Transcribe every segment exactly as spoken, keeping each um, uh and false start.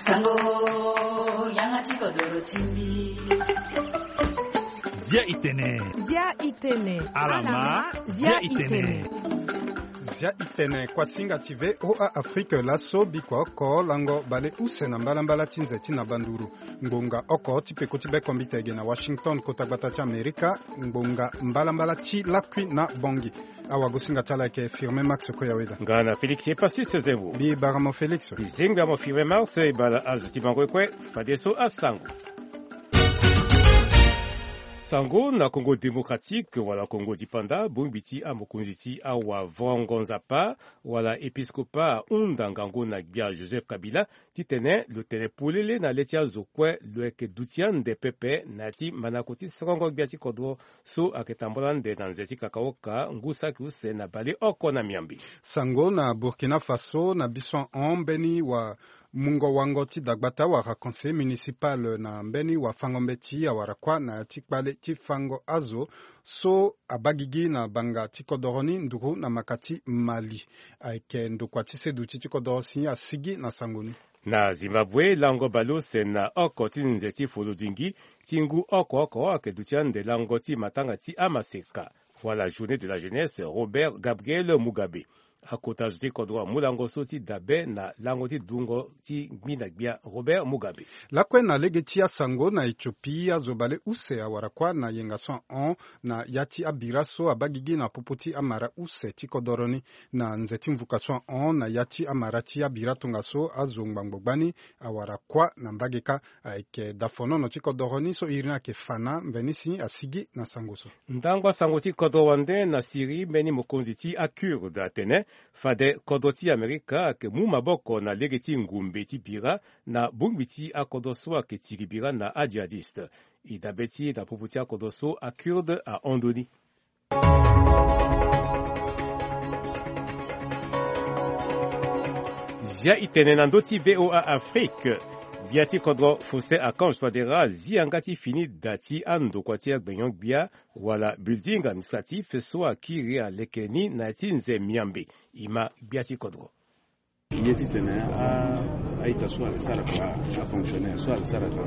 Sango, yanga ti kodoro ti mbi. Zia itene. Zia itene. Alama, zia itene. Zia itene, kuasinga ti V O A Afrique laso, bikua oko lango bale use na mbalambala ti nze ti na banduru. Ngbonga oko ti peko ti bekombita ege na Washington, kota gbata ti Amerika, ngbonga mbalambala ti lakui na Bangui. Awagosinga ti ala ayeke Firmin Max Koyaweda. Nga na Félix Epassis Sezemo. Mbi bara mo Félix. Mbi zengbi amo Firmin Max, e bala azo ti bango kue, fadeso asango. Sango na Congo Démocratique wala Congo Dipanda, bongbi ti amokonzi ti awavango nzapa wala épiscopat ahunda ngangu na gbia Joseph Kabila, titene lo tene polele na le ti azo kue lo yeke duti ande pepe na ya ti mandango ti sorongo gbia ti kodro so ayeke tambula ande na nze ti kakaoka ngu saki use na baleoko na miambe. Sango na Burkina Faso, na biso ahon mbeni wa mungo wango ti dagbata wala conseil municipal na mbeni wafango mbeti awara kuâ na ya ti kpale ti fango azo so abaa gigi na banga ti kodoro ni nduru na maka ti Mali. Ayeke ndokua ti seduti ti kodoro si asigi na sango ni. Na Zimbabwe, lango baleuse na oko ti nze ti folodingi ti ngu oko oko ayeke duti ande lango ti matanga ti amaseka wala journée de la jeunesse Robert Gabriel Mugabe. Akota zo ti kodro amu lango so ti dabe na lango ti dungo ti ngbi na gbia Robert Mugabe. Lakue na lege ti asango, na Éthiopie azo baleuse awara kuâ na yenga so ahon na ya ti abira so abaa gigi na popo ti amara use ti kodoro ni. Na nze ti mvuka so ahon na ya ti amara ti abira tongaso azo ngbangbo gbani awara kuâ na mbage kâ. Ayeke dafonono ti kodoro ni so iri ni ayeke fa na mveni si asigi na sango so. Ndango asango ti kodro wande na Syrie, mbeni mokonzi ti aKurde atene fade kodro ti Amerika ayeke mu maboko na lege ti ngumbe ti bira na bongbi ti akodro so ayeke tiri bira na ajihadiste. E dabe ti e na popo ti akodro so aKurde ahon ndoni. Zia itene na ndö ti V O A Afrique. Gbia ti kodro Faustin Archange Touadéra azi yanga ti fini da ti andokua ti agbinyon-gbia wala building administratif so akiri aleke ni na ya ti nze miambe. E ma gbia ti kodro. Ye titene a, a-ita so ayeke sara kua, afonctionnaire so ayeke sara kua,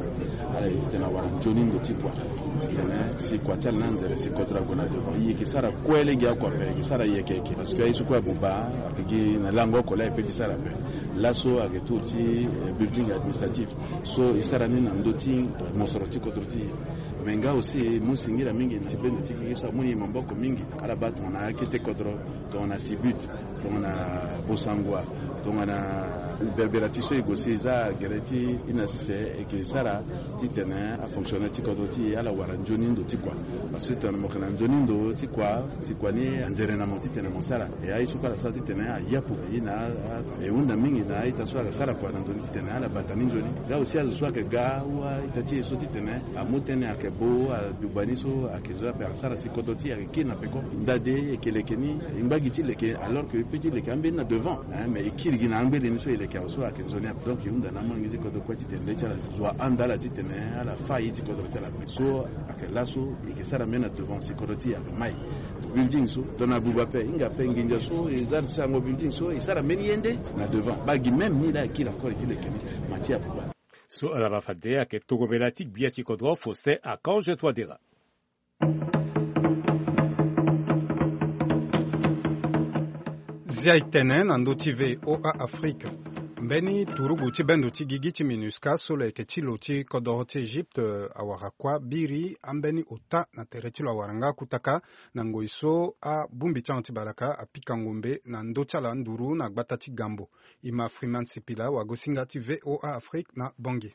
ala ye titene awara nzoni ndo ti kua. Titene si kua ti ala ni anzere si kodro ague na devant. E yeke sara kue lege akua ape, e yeke sara yeke yeke. Parce que aye so kue amu baa, ayeke gi na lango oko laa e peut ti sara ape. Laso ayeke tour ti, eh, building administratif so e sara ni na ndö ti mosoro ti kodro ti e. Me nga aussi mu singila mingi na ti bendo ti gigi so amu ni maboko mingi. Ala baa tongana akete kodro, tongana Sibut, tongana Bossangoa, tongana Berbera ti so e gue si e za gere ti e na sese, e yeke sara titene afonctionnaire ti kodro ti e ala wara nzoni ndo ti kua. Parce que tongana mo yeke na nzoni ndo ti kua, si kua ni anzere na mo titene mo sara. E aye so kue ala sara titene ayapu e na a, e hunda mingi na a-ita so ayeke sara kua na ndo ni titene ala bata ni nzoni. Nga aussi azo so ayeke ga ou a-ita ti e so titene amu tënë ayeke bo, aduba ni so ayeke zo ape asara si kodro ti e ayeke kiri na peko. Ndade e yeke leke ni, e ngba gi ti leke, alors que e peut ti leke ambeni na devant, hein, mais e kiri gi na angbeni ni so e leke awe so ayeke nzoni ape. Donc e hunda na amangi ti kodro kue titene nde ti ala zo ahanda ala titene ala fâ ye ti kodro ti ala kue. So ayeke laso e yeke sara mbeni na devant si kodro ti e ayeke mai. Building so tongana abuba ape, hinga ape nginza so e za ti sango building so e sara mbeni ye nde na devant. Baa gi même ni laa e kiri encore e ti leke ni, ma ti abuba. So ala ma fade ayeke tongomela ti gbia ti kodro Faustin Archange Touadéra. Zia e tene na ndö ti V O A Afrique. Mbeni turugu ti bendo ti gigi ti MINUSCA so lo yeke ti lo ti kodoro ti Egypte, eh, awara kuâ biri ambeni ota na tere ti lo awara nga kutaka na ngoi so abongbi ti ahon ti balaka apika ngombe na ndö ti ala nduru na gbata ti Gambo. E ma Freeman Sipila, wagosinga ti V O A Afrique na Bangui.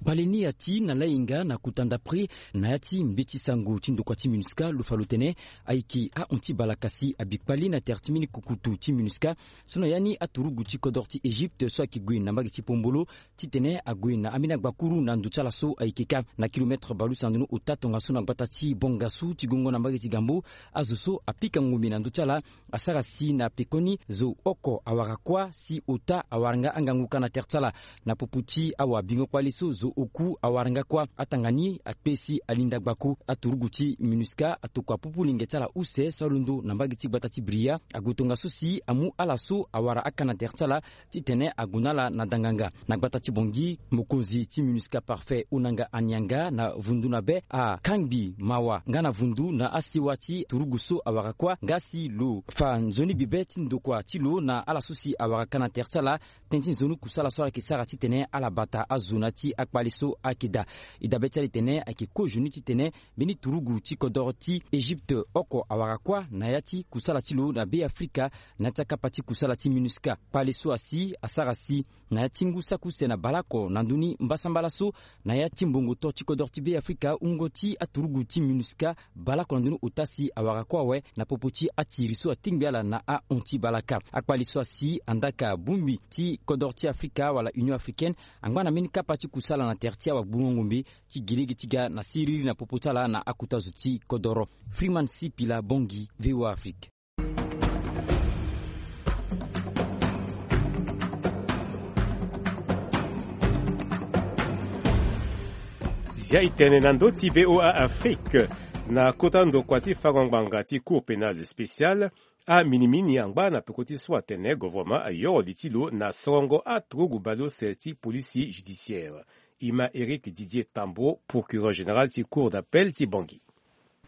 Bale ni ati na lainga na kota ndapre na ya ti mbeti sango ti ndokua ti MINUSCA lo fa lo tene ayeke ahon ti balaka si abi kpale na tere ti mbeni kukutu ti MINUSCA so na ya ni aturugu ti kodro ti Egypte so ayeke gue na mbage ti Pombolo titene ague na ambeni agbakuru na ndo ti ala so ayeke ka na kilometre balusa na ndoni ota tongaso na gbata ti Bongasu ti gongo na mbage ti Gambo. Azo so apika ngombe na ndo ti ala asara si na pekoni zo oko awara kuâ si ota awara nga angangu ka na tere ti ala na popo ti awabingo kpale so zo Oku awara nga kuâ atanga ni akpe si alinda gbako aturugu ti MINUSCA atokua pupu linge ti ala use so alondo na mbage ti gbata ti Bria ague tongaso si amu ala so awara aka na tere ti ala titene ague na ala na danganga. Na gbata ti Bangui, mokonzi ti MINUSCA Parfait Onanga Anianga na vundu na be akangbi mawa nga na vundu na asiwa ti turugu so awara kuâ nga si lo fa nzoni bibe ti ndokua ti lo na ala so si awara ka na tere ti ala. Tënë ti nzoni kusala so ala yeke sara titene ala bata azo na ti akpale so ayeke daa. E dabe ti ala e tene ayeke kozoni titene mbeni turugu ti kodoro ti Egypte oko awara kuâ na ya ti kusala ti lo na Be Afrika na ya ti akapa ti kusala ti MINUSCA. Kpale so asi asara si na ya ti ngu saki use na baleoko na ndö ni mbasambala so na ya ti mbongo to ti kodoro ti Be Afrika, wungo ti aturugu ti MINUSCA baleoko na ndö ni ota si awara kue awe na popo ti atiri so atingbi ala na ahon ti balaka. Akpale so asi andaa ka bongbi ti kodoro ti Afrika wala Union Africaine angba na mbeni kapa ti kusala na tere ti awagbungo ngombe ti gi lege ti ga na siriri na popo ti ala na akota zo ti kodoro. Freeman Sipila Bangui, V O A Afrique. Zia e tene na ndö ti V O A Afrique na kota ndokua ti fango ngbanga ti Cour pénale spéciale, aminimini angba na peko ti so atene gouvernement ayoro li ti lo na sorongo aturugu baleuse ti polisi judiciaire. E ma Éric Didier Tambo, procureur général ti Cour d'appel ti Bangui.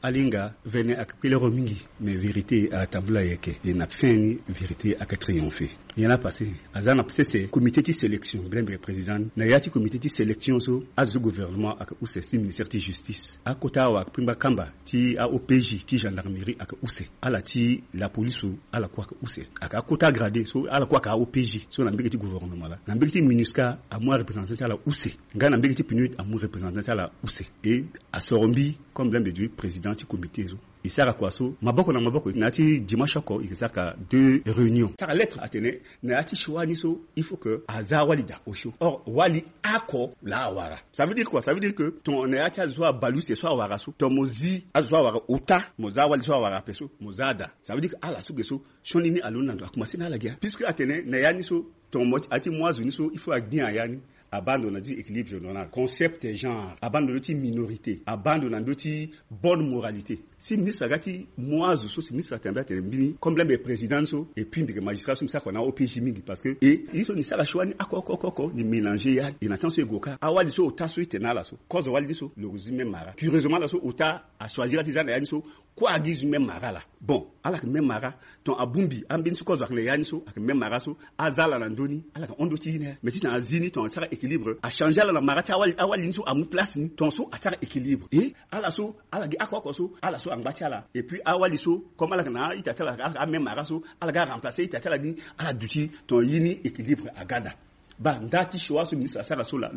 Alinga vene ayeke kpelero mingi, mais vérité atambula yeke, e na fin ni vérité ayeke triomphe. Nyen la passé? Aza na sese comité ti sélection, brembe président ni. Na ya ti comité ti sélection so, azo gouvernement ayeke use ti ministère ti justice, akota awa kpingba kamba ti a-O P J ti gendarmerie ayeke use. Ala ti la police so, ala kue ayeke use. Ayeke akota gradé so, ala kue ayeke a-O P J so na mbege ti gouvernement la. Na mbege ti MINUSCA, amu areprésentant ti ala use. Nga na mbege ti PNUD, amu représentant ti ala use. E asoro mbi comme l'un des deux présidents ti comité so. E sara kua so maboko na maboko na ya ti dimanche oko, e ke sara ka deux réunions. Sara lettre atene na ya ti choix ni so, il faut que aza awali daa osio. Or wali oko laa awara. Ça veut dire quoi? Ça veut dire que tongana na ya ti azo abaleuse so awara so, tongana mo zi azo so awara ota, mo za awali so awara ape so, mo za daa. Ça veut dire que ala so ge so, sioni ni alondo na ndo, akomanse na ala ge. Puisque atene na ya ni so, tongana mo ti, a ti mu azo ni so, il faut agbi na ya ni. Abaa ndo na ya ti équilibre général, concept genre, abaa ndo na ndö ti minorité, abaa ndo na ndö ti bonne moralité. Si ministre aga ti mu azo so, si ministre atene mbi atene mbeni comme l'un des présidents so, et puis mbi yeke magistrat so, mbi sara kua na O P J mingi, parce que e ye so ni sara choix ni oko oko oko oko, ni mélanger ya. E na temps so e gue ka, awali so ota so e tene na ala so, kozo wali ni so lo zi même mara. Curieusement ala so ota achoisir ti za na ya ni so, kue agi zi même mara laa. Bon, ala yeke même mara. Tongana abongbi ambeni ti kozo ayeke na ya ni so, ayeke même mara so, aza ala na ndö ni, ala yeke hon ndö ti ye ni. Mais titene azi ni, tongana asara équilibre, achanger ala na mara ti awali, awali ni so amu place ni, tongana so asara équilibre. E ala so, ala gi oko oko so, ala so angba ti ala. Et puis awali so, comme ala yeke na a-ita ti ala, ala yeke amême mara so, ala ga aremplacer a-ita ti ala ni, ala duti, tongana ye ni équilibre aga daa. Baa nda ti choix so ministre asara so laa.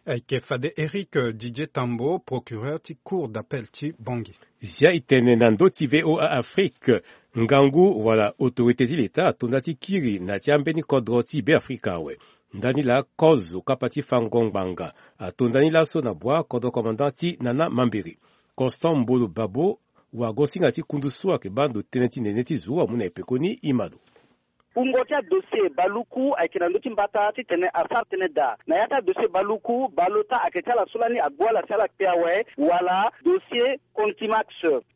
Ayeke fade Éric Didier Tambo, procureur ti Cour d'appel ti Bangui. Zia e tene na ndö ti V O A Afrique. Ngangu wala autorité ti leta ato nda ti kiri na ya ti ambeni kodro ti Beafrika awe. Ndani laa kozo kapa ti fango ngbanga ato ndani laso na bua kodro commandant ti Nana Mambiri. Constant Mbolo Babo, wagosinga ti kundu so ayeke baa ndo tënë ti nene ti zo amu na e pekoni, e ma lo. Wungo ti adossier baluku ayeke na ndö ti mbata titene asara tënë daa. Na ya ti adossier baluku, baleota ayeke ti ala so lani agbu ala si ala kpe awe, wala dossier contumax.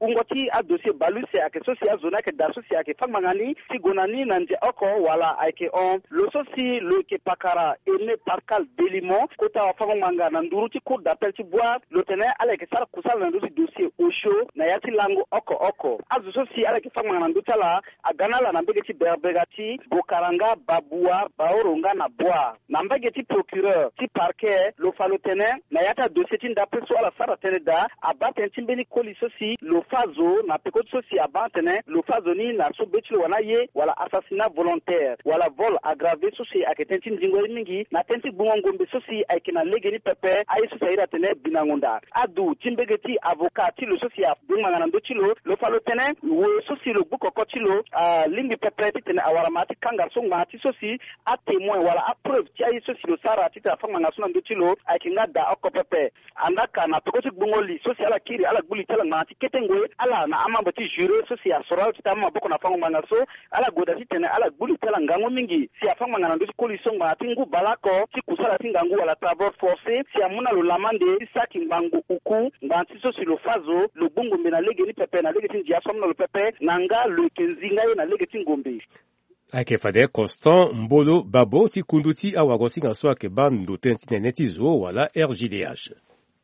Wungo ti adossier baleuse ayeke so si azo ni ayeke daa so si ayeke fâ ngbanga ni ti gue na ni na ndia oko, wala ayeke hon lo so si lo yeke pakara Aimé Pascal Delimon, kota wafango-ngbanga na nduru ti Cour d'appel ti Bouar, lo tene ala yeke sara kusala na ndö ti dossier osio na ya ti lango oko oko. Azo so si ala yeke fâ ngbanga na ndö ti ala aga na ala na mbege ti berebega ti Bokaranga, Babua, Baoro nga na Bouar. Na mbage ti procureur ti parquet, lo fa lo tene na ya ti adossier ti ndape so ala sara tënë daa, abaa tënë ti mbeni koli so si lo fâ zo na peko ti so si abaa atene lo fâ zo ni na so be ti lo wani aye, wala assassinat volontaire, wala vol aggravé, so si ayeke tënë ti ndingo ye mingi na tënë ti gbungo ngombe so si ayeke na legeni pepe, aye so si a iri atene binango ndaa. Adu ti mbege ti avocat ti lo so si abengbanga na ndö ti lo, lo fa lo tene wo so si lo gbu koko ti lo alingbi pepe titene awara Ngbanga ti kanga so ngbanga ti so si atémoin wala apreuve ti aye so si lo sara titene afa ngbanga so na ndö ti lo ayeke nga daa oko pepe. Andaa ka na peko ti gbungo li so si ala kiri ala gbu li ti ala ngbanga ti kete ngoi ala na amembre ti juré so si asoro ala titene ama maboko na fango ngbanga so. Ala gue daa titene ala gbu li ti ala ngangu mingi si afa ngbanga na ndö ti koli so ngbanga ti ngu baleoko ti kusala ti ngangu wala travaux forcés si amu na lo lamande ti saki ngbangbo uku ngbanga ti so si lo fa zo lo gbu ngombe na lege ni pepe na lege ti ndia so amu na lo pepe na nga lo yeke nzi nga ye na lege ti ngombe. Ayeke fade Constant Mbolo Babo ti kundu ti awagosinga so ayeke baa ndo tënë ti nene ti zo wala R G D H.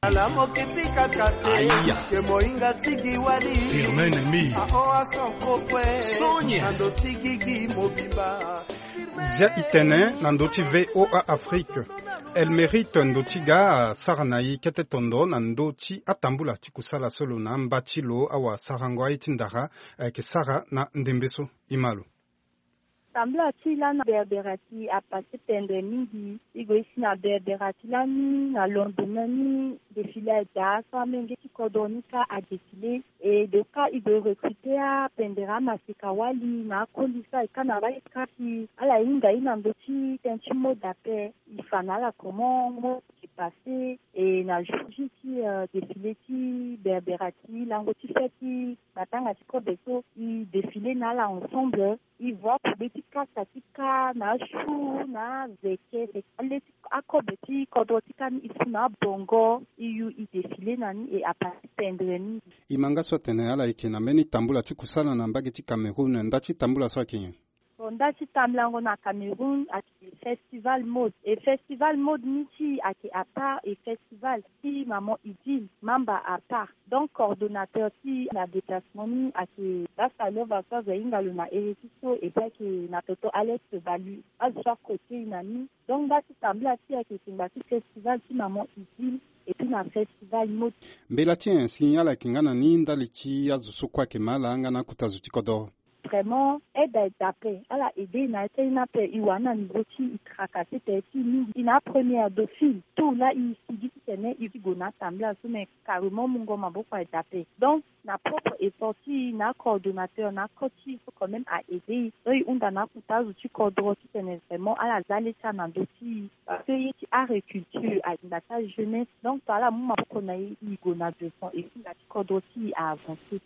Ala mo ke pika kate. Aya. Ke mohinga tigi wali. Firme ennemi. A o a son kokwe. Sonia. Na ndo ti gigi mobimba. Zia itene na ndo ti V O A Afrique. Elle mérite ndo ti ga asara na e kete tondo na ndo ti atambula ti kusala so lo na amba ti lo awasarango aye ti ndara ayeke sara na ndembe so. E ma lo. Tambula ti lani na Berbera ti apassé pendere mingi. E gue e si na Berbera ti lani na lendemain ni défilé adaa so amenge ti kodro ni kâ adéfilé. E donc kâ e gue e recruté apendere amaseka wali na akoli so aye kâ na mbage ti kâ si ala hinga ye na ndö ti tënë ti mode ape. E fa na ala comment mode ayeke passé. E na jour J ti défilé ti Berbera ti lango ti fête ti matanga ti kobe so e défilé na ala ensemble. E voit akobe ti kasa ti kâ na ashu na azeke, ale ti akobe ti kodro ti kâ ni e fu na abongo. E yu e défilé na ni e apassé pendere mingi. E ma nga so atene ala yeke na mbeni tambula ti kusala na mbage ti Cameroun. Nda ti tambula so ayeke nyen? Bon, nda ti tambulango na Cameroun ayeke festival mode. E festival mode ni ti e ayeke à part e festival ti maman Idil Mamba à part. Donc coordonnateur ti e na déplacement ni ayeke Basta Lova so azo ahinga lo na ere ti so, et puis ayeke na toto Alex Balu. Azo so akotei na ni. Donc nda ti tambula ti e ayeke tengba ti festival ti maman Idil et puis na festival mode. Mbela ti nyen si ala yeke nga na ni ndali ti azo so kue ayeke ma ala nga na akota zo ti kodro? Vraiment aide ayeke daa ape. Ala aidé e na ya ti aye ni ape. E wara ni na niveau ti e tracassé tere ti e mingi. E na apremière dauphine. Tout laa e sigi titene e ti gue na atambula so, mais carrément mungo maboko ayeke daa ape. Donc na propre effort ti e na acoordonnateur na akot ti e so quand même a aidé e. Donc e hunda na akota azo ti kodro titene vraiment ala za le ti ala na ndö ti e. Parce que ye ti agriculture alinda ti ajeunesse. Donc so ala mu maboko na e, e gue na devant et puis na ti kodro ti e a avancé.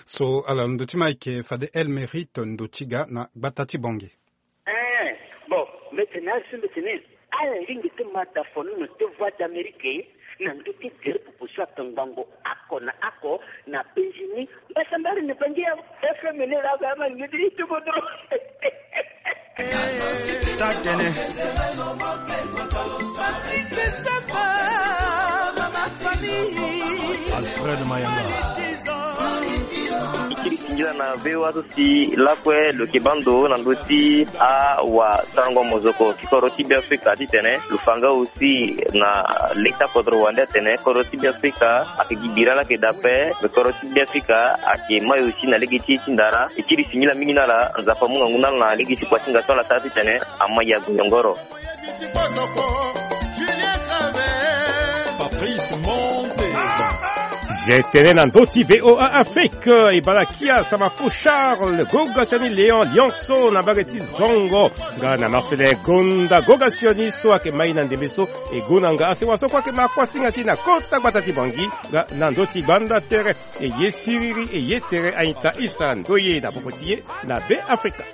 So ala londo ti ma ayeke fade El Mérite ndo ti ga na gbata ti Bangui. Eh, bon, mbi tene asi mbi tene ala lingbi ti ma da fono na ti Voix d'Amérique na ndö ti gere popo so atongbango oko na oko na Bangui ni. Mbasambari na Bangui ya F M ni laa ba ma lingbi ti ti kodro. Tatene. Alfred Mayamba. Kiri singila na V O A so si lakue lo yeke baa ndo na ndö ti awasarango mozoko ti kodro ti Beafrika titene lo fa nga aussi na lege ti akodro wande atene kodro ti Beafrika ayeke gi bira laa ayeke daa ape. Me kodro ti Beafrika ayeke mai aussi na lege ti ye ti ndara. E kiri singila mingi na ala. Nzapa amu ngangu na ala na lege ti kua ti hinga so ala sara titene ama yago yongoro. Patrice Monte. Je tene na ndö ti V O A Afrique, e bala kia Samafo Charles, goga sioni Léon Lionceau na mbage ti Zongo, nga na Marcelin Gonda, goga sioni so ayeke mai na ndembe so, e gue na nga asewa so kue ayeke ma kuasinga ti e na kota gbata ti Bangui, nga na ndö ti gbanda tere. E ye siriri e ye tere, a-ita isa ndoye na popo ti ye na Beafrika.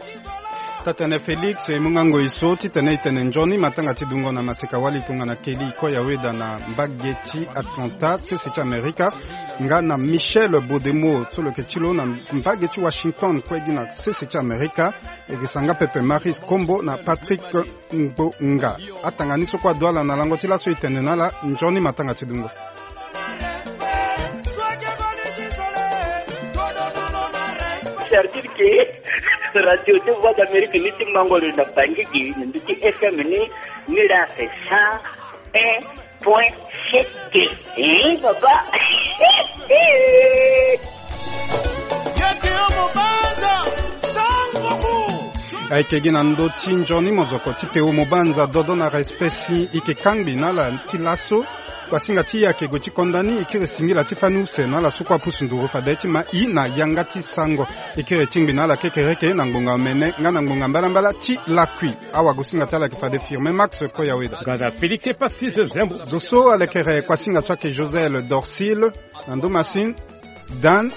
Tatene Félix, e mu nga ngoi so titene e tene nzoni matanga ti dungo na maseka wali tongana Kelly Koyaweda na mbage ti Atlanta, sese ti Amerika, nga na Michel Bodemo so lo yeke ti lo na mbage ti Washington kue gi na sese ti Amerika. E yeke sanga pepe Maris Kombo na Patrick Ngbonga. Atanga ni so kue adu ala na lango ti laso e tene na ala nzoni matanga ti dungo. C'est-à-dire que radio de Voix d'Amérique ni ti mango lo na Bangui gi na ndö ti F M ni, ni la c'est cent un point sept. Hein, papa. Ayeke gi na ndö ti nzoni mozoko ti Théo Mobanza, dodo na respect si e yeke kangbi na ala ti laso. Kuasinga ti e ayeke gue ti konda ni, e kiri singila ti fani use na ala so kue apusu nduru fade ti ma e na yanga ti sango. E kiri tingbi na ala kekereke na ngbonga omene nga na ngbonga mbalambala ti lakui. Awagosinga ti ala ayeke fade Firmin Max Koyaweda. Gada Félix Epasis Zembo. Zo so alekere kuasinga so ayeke Josel Dorsil, na ndo Masin, Dan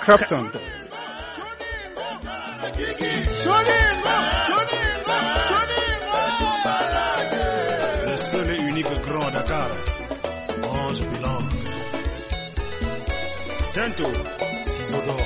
Crafton. Le seul et unique grand à Dakar, mange bilan. Tento, ciseaux d'or.